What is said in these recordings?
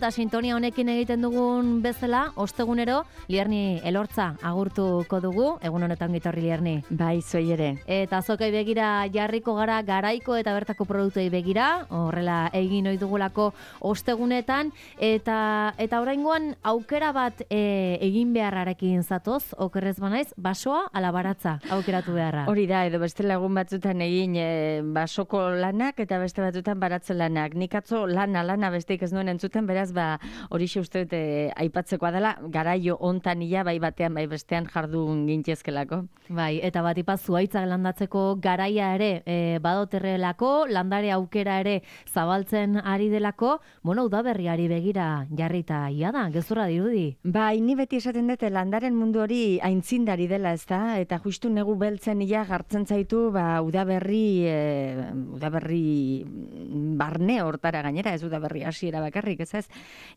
Eta sintonia honekin egiten dugun bezala, ostegunero, Lierni Elortza agurtuko dugu, egun honetan gitorri Lierni. Bai, zuei ere. Eta azokai begira jarriko gara garaiko eta bertako produktuei begira, horrela egin ohi dugulako ostegunetan, eta oraingoan aukera bat egin beharrarekin zatoz, okerrez banaiz, basoa ala baratza aukeratu beharra. Hori da, edo beste lagun batzutan egin basoko lanak eta beste batzutan baratze lanak. Nik atzo lana besteik ez nuen entzuten, beraz horixe uste dut aipatzekoa dela, garaio hontan ia bai batean bai bestean jardun gintezkelako. Bai, eta bat zuhaitzak landatzeko garaia ere badoterrelako, landare aukera ere zabaltzen ari delako, udaberriari begira jarrita ia da, gezurra dirudi. Bai, ni beti esaten dute landaren mundu hori aintzindari dela, ezta? Eta justu negu beltzen ia gartzen zaitu udaberri barne hortara gainera, ez udaberri hasiera bakarrik, ez?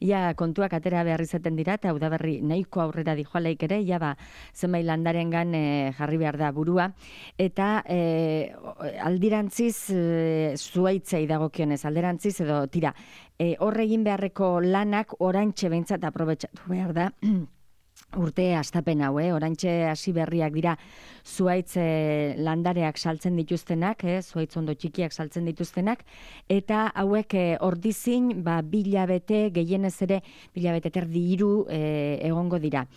Ia kontuak atera behar izaten dira, eta udaberri nahiko aurrera dijoalaik ere, zenbait landarengan jarri behar da burua. Eta aldirantziz, zuhaitzei dagokionez, alderantziz edo tira, horregin beharreko lanak oraintxe behintzat aprobetxatu behar da, urte astapen hau, oraintxe hasi berriak dira zuhaitz landareak saltzen dituztenak, zuhaitz ondo txikiak saltzen dituztenak, eta hauek ordizin, 2 hilabete, gehienez ere, 2 hilabete terdi 3 egongo dira.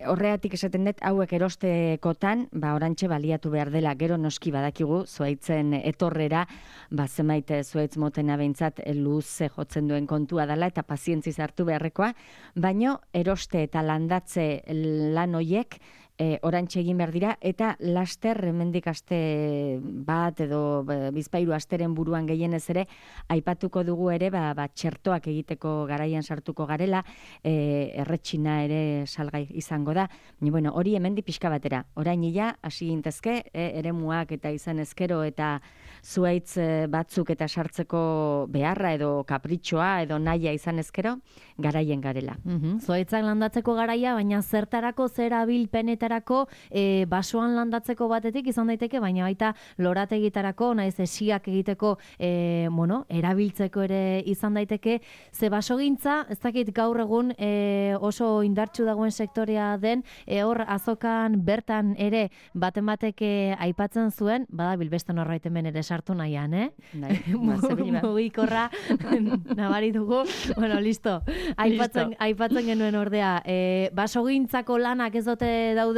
Horregatik esaten dut, hauek erostekotan, orantxe baliatu behar dela, gero noski badakigu, zuhaitzen etorrera, zenbait zuhaitz motena behintzat luze jotzen duen kontua dela, eta pazientziz hartu beharrekoa, baino eroste eta landatze lan hoiek, orantxe egin behar dira, eta laster hemendik aste bat edo bizpairu asteren buruan gehienez ere, aipatuko dugu ere, txertoak egiteko garaian sartuko garela, erretxina ere salgai izango da. Baina, hori hemendik pixka batera. Orain ia, hasi gintezke, eremuak eta izan ezkero eta zuhaitz batzuk eta sartzeko beharra edo kapritxoa edo nahia izan ezkero, garaien garela. Zuhaitzak landatzeko garaia, baina zertarako zera bilpenetarako basoan landatzeko batetik izan daiteke, baina baita lorategitarako, naiz esiak egiteko erabiltzeko ere izan daiteke, ze basogintza, ez dakit gaur egun oso indartsu dagoen sektorea den, hor azokan bertan ere baten batek aipatzen zuen, badabil beste norbait hemen ere sartu nahian, mugikorra nabari dugu, listo. Aipatzen genuen ordea, basogintzako lanak ez dute dauden,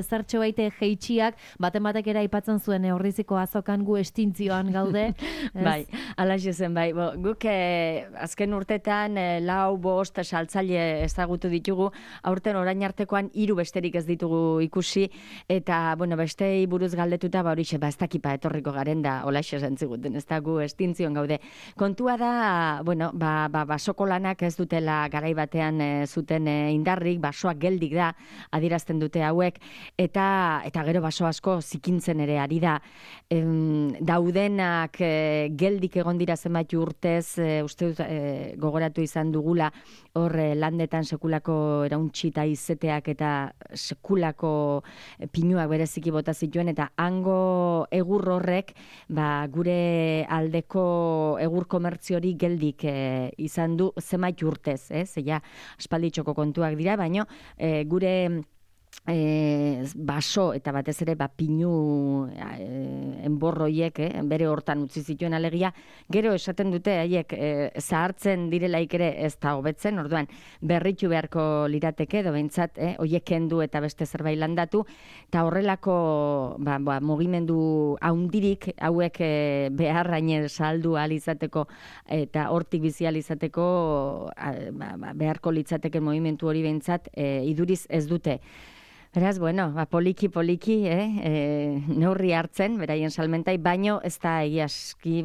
zertxo baite jeitxiak, baten batek ere aipatzen zuen horriziko azokan gu estintzioan gaude. Bai, alaxe zen, bai. Guk azken urtetan 4-5 saltzaile ezagutu ditugu, aurten orain artekoan 3 besterik ez ditugu ikusi, eta, bestei buruz galdetuta, horixe, ez dakipa etorriko garen da, olaxe zentziguten, ez da gu estintzioan gaude. Kontua da, basoko lanak ez dutela garai batean zuten indarrik, basoak geldik da, adierazten dute hauek, eta gero baso asko zikintzen ere ari da. Daudenak geldik egon dira zenbait urtez, uste dut gogoratu izan dugula, hor landetan sekulako erauntxita izeteak eta sekulako pinuak bereziki bota zituen, eta hango egur horrek gure aldeko egur komertziori geldik izan du zenbait urtez, zeia aspalditxoko kontuak dira, baino gure baso eta batez ere pinu enborroiek bere hortan utzi zituen alegia, gero esaten dute haiek zahartzen direlaik ere ez da hobetzen, orduan berritu beharko lirateke edo behintzat hoiek kendu eta beste zerbait landatu, eta horrelako mugimendu haundirik hauek beharraine saldu ahal izateko eta hortik bizi ahal izateko beharko litzateke mugimendu hori behintzat iduriz ez dute. Beraz, poliki, neurri hartzen, beraien salmentai, baino ez da egiazki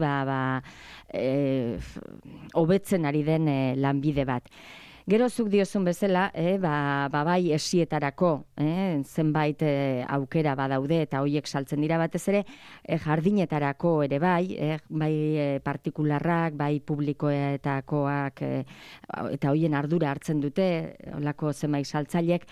hobetzen ari den lanbide bat. Gero zuk diozun bezala, bai esietarako, zenbait aukera badaude eta hoiek saltzen dira batez ere, jardinetarako ere bai partikularrak, bai publikoetakoak, eta hoien ardura hartzen dute, holako zenbait saltzaileek,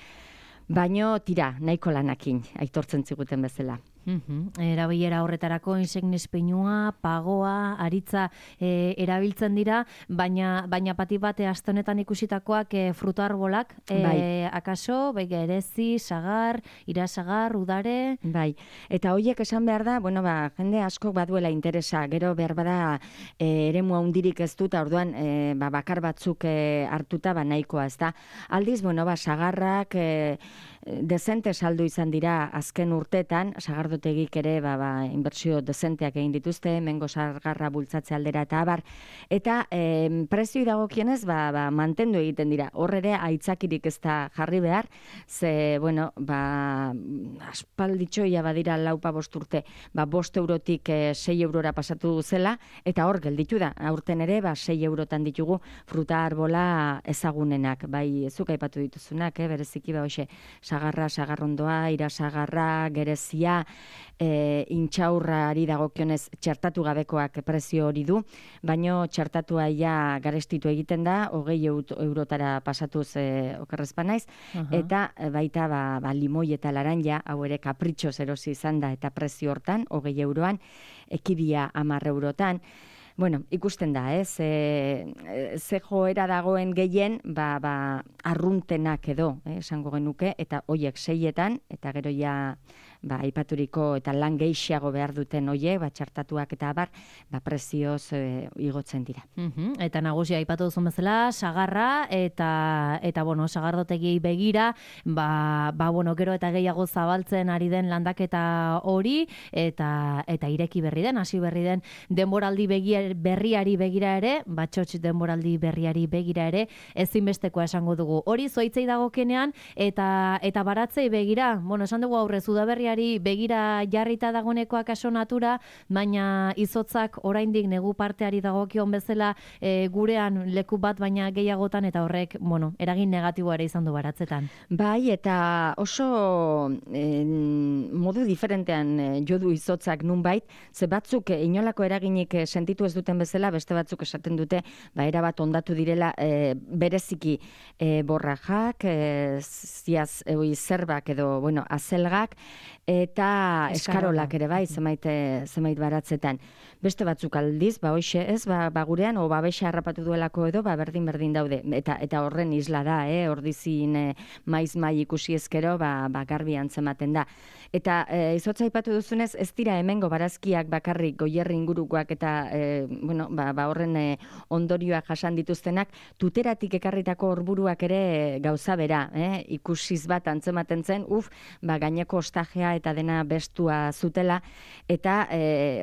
baino tira, nahiko lanakin, aitortzen ziguten bezala. Erabilera horretarako insignis peinua, pagoa, aritza erabiltzen dira, baina pati bate aste honetan ikusitakoak fruta arbolak, akaso, erezi, sagar, irasagar, udare... Bai, eta horiek esan behar da, jende askok baduela interesa, gero behar bada eremu handirik ez dut, orduan bakar batzuk hartuta nahikoa, ez da. Aldiz, sagarrak dezente saldu izan dira azken urtetan, sagardotegik ere inbertsio dezenteak egin dituzte, mengo sagarra bultzatze aldera eta abar, eta prezioi dagokienez mantendu egiten dira. Hor ere aitzakirik ez da jarri behar, ze, aspalditxoia badira 4-5 urte, 5 eurotik 6 eurora pasatu zela, eta hor gelditu da. Aurten ere 6 eurotan ditugu fruta arbola ezagunenak, bai zuk aipatu dituzunak, bereziki hoxe, sagarra, sagarrondoa, irasagarra, gerezia, intxaurrari dagokionez txertatu gabekoak prezio hori du, baino txertatua garestitu egiten da, 20 eurotara pasatuz okerrezpa naiz, eta baita limoi eta laranja, hau ere kapritxoz erosi izan da, eta prezio hortan, 20 euroan, ekibia 10 eurotan. Ikusten da, ze joera dagoen gehien, arruntenak edo, esango genuke, eta hoiek 6etan, eta gero aipaturiko eta lan gehiago behar duten hoiek, txartatuak eta abar, prezioz igotzen dira. Eta nagusia aipatu duzun bezala, sagarra, eta sagardotegi begira, gero eta gehiago zabaltzen ari den landaketa hori, eta ireki berri den, hasi berri den denboraldi berriari begira ere, txotx denboraldi berriari begira ere, ezinbestekoa esango dugu. Hori zoitzei dagokenean, eta baratzei begira, esan dugu aurrez udaberriari begira jarrita dagonekoak aso natura, baina izotzak oraindik negu parteari dagokion bezala gurean leku bat baina gehiagotan, eta horrek, eragin negatiboa ere izan du baratzetan. Bai, eta oso modu diferentean jo du izotzak nunbait, ze batzuk inolako eraginik sentitu ez duten bezala, beste batzuk esaten dute, erabat ondatu direla bereziki borrajak, zerbak edo, azelgak, eta eskarolak ere bai, zenbait baratzetan. Beste batzuk aldiz, hoxe ez, gurean, babesa harrapatu duelako edo, berdin daude. Eta horren isla da, ordizin maiz-mai ikusi ezkero, garbi antzematen da. Eta izotza aipatu duzunez, ez dira hemengo barazkiak bakarrik goierri ingurukoak eta horren ondorioak jasan dituztenak, tuteratik ekarritako horburuak ere gauza bera, ikusiz bat antzematen zen, gaineko ostajea eta dena bestua zutela, eta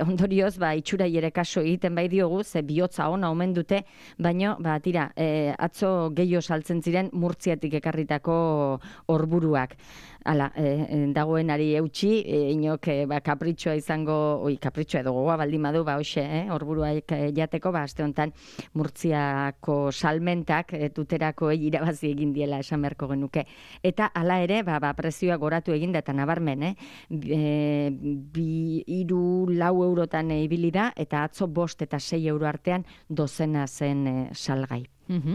ondorioz, itxurai ere kaso egiten bai diogu, ze bihotza ona omen dute, baino, atzo gehiago saltzen ziren Murtziatik ekarritako horburuak. Hala, dagoenari eutxi, inok kapritxoa izango, kapritxoa edo gogoa baldin badu, hoxe, horburuak jateko, aste honetan Murtziako salmentak tuterako irabazi egin diela esan beharko genuke. Eta hala ere, prezioa goratu egin da, eta nabarmen, 2-4 eurotan ibili da, eta atzo 5 eta 6 euro artean dozena zen salgai.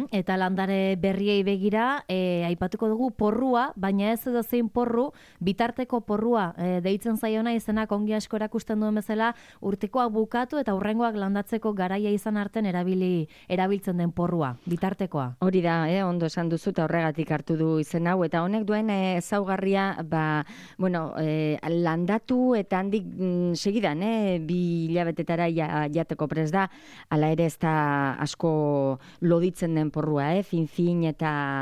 Eta landare berriei begira, aipatuko dugu porrua, baina ez edo zein porru, bitarteko porrua deitzen zaiona izenak ongi asko erakusten duen bezala, urtekoak bukatu eta hurrengoak landatzeko garaia izan arten erabiltzen den porrua, bitartekoa. Hori da, ondo esan duzu eta horregatik hartu du izen hau, eta honek duen ezaugarria, landatu eta handik segidan, 2 hilabetetara jateko prest da, hala ere ez da asko loditzen den porrua, fin eta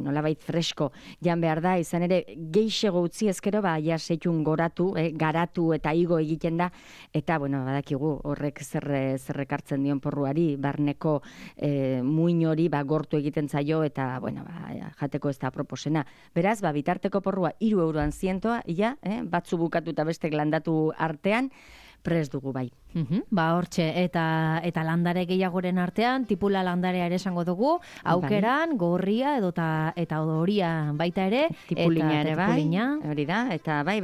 nolabait fresko jan behar da, izan ere geixego utzi ezkero, seitun garatu eta igo egiten da, eta badakigu horrek zerrek hartzen dion porruari, barneko muin hori gortu egiten zaio, eta jateko ez da proposena. Beraz, bitarteko porrua 3 euroan zientoa, batzu bukatu eta bestek landatu artean, prest dugu bai. Hortxe, eta landare gehiagoren artean, tipula landarea ere esango dugu, aukeran, gorria eta horia baita ere, tipulina ere bai, hori da, eta bai,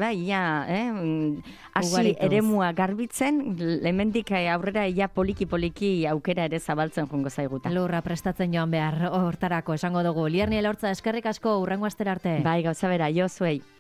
hasi eremua garbitzen, hemendik aurrera poliki aukera ere zabaltzen jongo zaiguta. Lurra prestatzen joan behar hortarako esango dugu. Lierni Elortza, eskerrik asko, hurrengo astera arte. Bai, gauza bera, jo zuei.